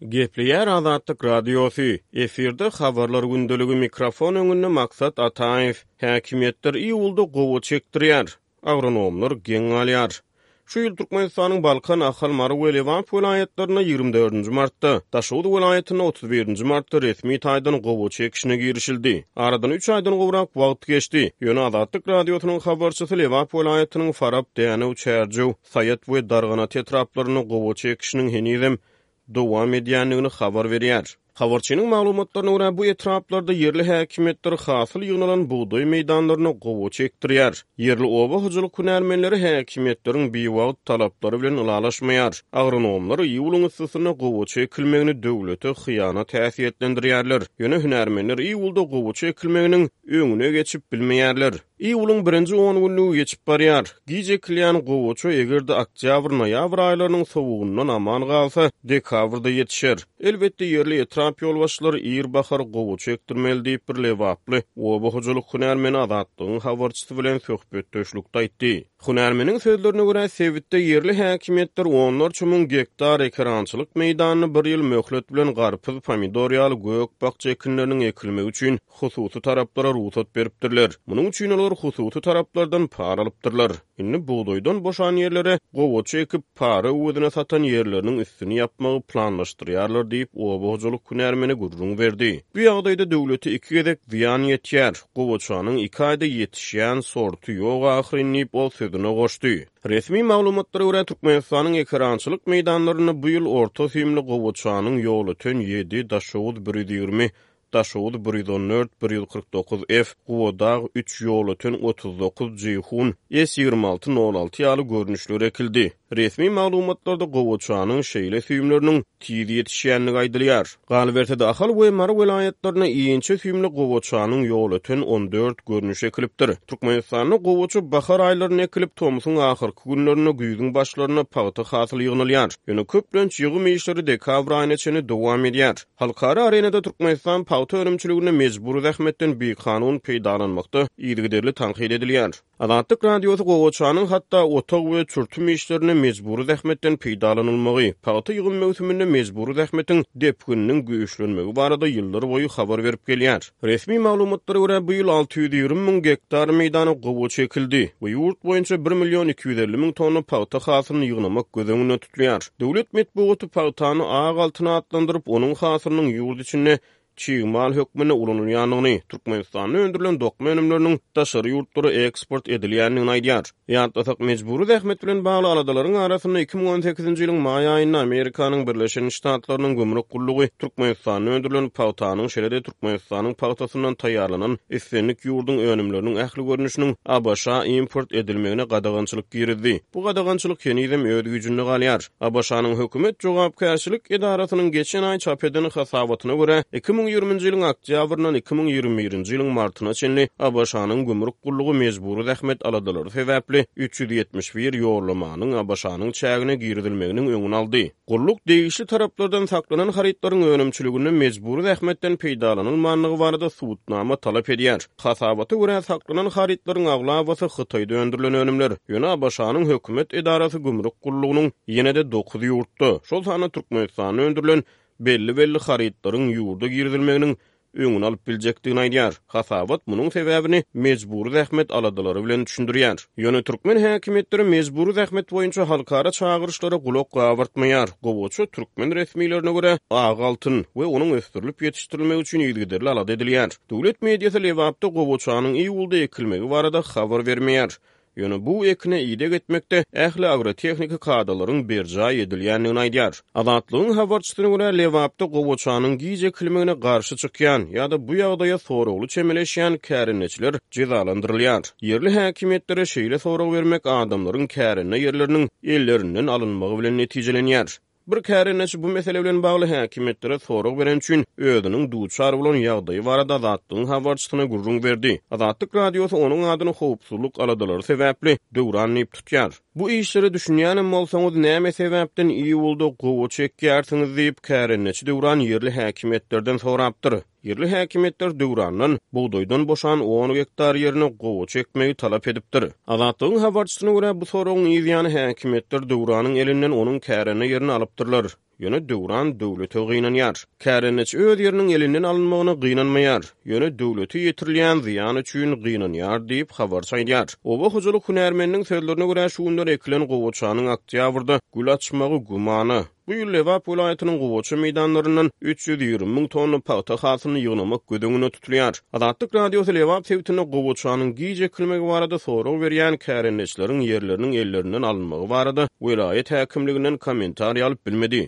Gepleýär Azatlyk Radiosy, efirde Habarlar gündeligi mikrofon öňünde Maksat Ataýew. Häkimiýetler iýulda gowaça ekdirýär. Agronomlar geň galýar. Şu ýyl Türkmenistanyň Balkan, Ahal, Mary we Lebap welaýatlarynda 24-nji martda, Daşoguz welaýatynda 31-nji martda resmi taýdan gowaça ekişine girişildi. Aradan üç aýdan gowrak wagt geçdi. Ýöne Azatlyk Radiosynyň habarçysy Lebap welaýatynyň Farap, Dänew, Çärjew, Saýat we Darganata etraplarynda gowaça ekişiniň henizem dowam edýändigini habar berýär. Habarçynyň maglumatlaryna görä, bu etraplarda ýerli häkimiýetler hasyl ýygnalan bugdaý meýdanlaryna gowaça ekdirýär. Ýerli oba hojalyk hünärmenleri häkimiýetleriň biwagt talaplary bilen ylalaşmaýar. Agronomlar iýulyň yssysynda gowaça ekilmegini döwlete hyýanat häsiýetlendirýärler. Ýöne hünärmenler iýulda gowaça ekilmeginiň öňüne geçip bilmeýärler. Iýulyň birinji on günlügi geçip barýar. Giç ekilýän gowaça eger-de oktýabr-noýabr aýlarynyň sowugyndan aman galsa, dekabrda ýetişer. Elbetde, ýerli etrap ýolbaşçylary ir bahar gowaça ekdirmeli diýip, bir lebaply oba hojalyk hünärmeni Azatlygyň habarçysy bilen söhbetdeşlikde aýtdy. Hünärmeniň sözlerine görä, sebitde ýerli häkimiýetler onlarça müň gektar ekerançylyk meýdanyny bir ýyl möhlet bilen garpyz, pomidor ýaly gök-bakja ekinleriniň ekilmegi üçin hususy taraplara rugsat beripdirler. Munuň üçin olar hususy taraplardan para alypdyrlar. Indi bugdaýdan boşan ýerlere gowaça ekip, para öwezine satan ýerleriniň üstüni ýapmagy planlaşdyrýarlar diýip, oba hojalyk hünärmeni gürrüň berdi. Bu ýagdaýda döwlete iki gezek zyýan ýetýär. Gowaçanyň iki aýda ýetişýän sorty ýok ahyryn diýip, ol sözüne goşdy. Resmi maglumatlara görä, Türkmenistanyň ekerançylyk meýdanlarynda bu ýyl orta süýümli gowaçanyň Ýolöten ýedi, Daşoguz 120, Daşoguz 114, 149 F, Gubadag üç, Ýolöten 39, Jeýhun, S 26 nol alty ýaly görnüşleri ekildi. Resmi maglumatlarda gowaçanyň şeýle süýümleriniň tiz ýetişýändigi aýdylýar. Galyberse-de, Ahal we Mary welaýatlarynda inçe süýümli gowaçanyň Ýolöten 14 görnüşi ekilipdir. Türkmenistanda gowaça bahar aýlarynda ekilip, tomsuň ahyrky günlerinde, güýzüň başlarynda pagta hasyly ýygnalýar. Ýöne köplenç ýygym işleri dekabr aýyna çenli dowam edýär. Halkara arenada Türkmenistan pagta önümçiliginde mejbury zähmetden bikanun peýdalanmakda yzygiderli tankyt edilýär. Azatlyk Radiosy gowaçanyň hatda otag we çürtüm işlerinde mejbury zähmetden peýdalanylmagy, pagta ýygym möwsüminde mejbury zähmetiň depgininiň güýçlenmegi barada ýyllarboýy habar berip gelýär. Resmi maglumatlara görä, bu ýyl 620 müň gektar meýdana gowaça ekildi we ýurt boýunça bir million 250 müň tonna pagta hasylyny ýygnamak göz öňünde tutulýar. Döwlet metbugaty pagtany ak altyn atlandyryp, onuň hasylynyň ýurt içinde çig mal hökmünde ulanylýandygyny, Türkmenistanda öndürilen dokma önümleriniň daşary ýurtlara eksport edilýändigini aýdýar. Ýatlasak, mejbury zähmet bilen bagly aladalaryň arasynda 2018-nji ýylyň maý aýynda Amerikanyň Birleşen Ştatlarynyň gümrük gullugy Türkmenistanda öndürilen pagtanyň, şeýle-de Türkmenistanyň pagtasyndan taýýarlanan islendik ýurduň önümleriniň ähli görnüşiniň ABŞ-a import edilmegine gadagançylyk girizdi. Bu gadagançylyk henizem öz güýjünde galýar. ABŞ-nyň hökümet jogapkärçilik edarasynyň geçen aý çap eden hasabatyna görä, 2020-nji ýylyň oktýabryndan 2021-nji ýylyň martyna çenli ABŞ-nyň gümrük gullugy mejbury zähmet aladalary sebäpli 371 ýollamanyň ABŞ-nyň çägine girizilmeginiň öňüni aldy. Gulluk degişli taraplardan saklanan harytlaryň önümçiliginde mejbury zähmetden peýdalanylmandygy barada subutnama talap edýär. Hasabata görä, saklanan harytlaryň aglabasy Hytaýda öndürilen önümler. Ýöne ABŞ-nyň hökümet edarasy gümrük gullugynyň ýene-de dokuz ýurtda, şol sanda Türkmenistanda öndürilen belli-belli harytlaryň ýurda girizilmeginiň öňüni alyp biljekdigini aýdýar. Hasabat munuň sebäbini mejbury zähmet aladalary bilen düşündirýär. Ýöne türkmen häkimiýetleri mejbury zähmet boýunça halkara çagyryşlara gulak gabartmaýar. Gowaça, türkmen resmilerine görä, ak altyn we onuň ösdürilip ýetişdirilmegi üçin yzygiderli alada edilýär. Döwlet mediasy Lebapda gowaçanyň iýulda ekilmegi barada habar bermeýär. Ýöne bu ekine ideg etmekde ähli agrotehniki kadalaryň berjaý edilýändigini aýdýar. Azatlygyň habarçysyna görä, Lebapda gowaçanyň giç ekilmegine garşy çykýan ýa-da bu ýagdaýa soragly çemeleşýän kärendeçiler jezalandyrylýar. Ýerli häkimiýetlere şeýle sorag bermek adamlaryň kärende ýerleriniň ellerinden alynmagy bilen netijelenýär. Bir kärendeçi bu mesele bilen bagly häkimiýetlere sorag bereni üçin özüniň duçar bolan ýagdaýy barada Azatlygyň habarçysyna gürrüň berdi. Azatlyk Radiosy onuň adyny howpsuzlyk aladalary sebäpli Döwran diýip tutýar. Bu işlere düşünýänem bolsaňyz, näme sebäpden iýulda gowaça ekýärsiňiz diýip, kärendeçi Döwran ýerli häkimiýetlerden sorapdyr. Ýerli häkimiýetler Döwrandan bugdaýdan boşan on gektar ýerine gowaça ekmegi talap edipdir. Azatlygyň habarçysyna görä, bu soragyň yz ýany häkimiýetler Döwranyň elinden onuň kärende ýerini alypdyrlar. Ýöne Döwran döwlete gynanýar. Kärendeçi öz ýeriniň elinden alynmagyna gynanmaýar. Ýöne döwlete ýetirilýän zyýan üçin gynanýar diýip, habarçy aýdýar. Oba hojalyk hünärmeniniň sözlerine görä, şu günler ekilen gowaçanyň oktýabrda gül açmagy gümana. Bu ýyl Lebap welaýatynyň gowaça meýdanlaryndan 320 müň tonna pagta hasylyny ýygnamak göz öňünde tutulýar. Azatlyk Radiosy Lebap sebitinde gowaçanyň giç ekilmegi barada sorag berýän kärendeçileriň ýerleriniň ellerinden alynmagy barada welaýat häkimliginden kommentariý alyp bilmedi.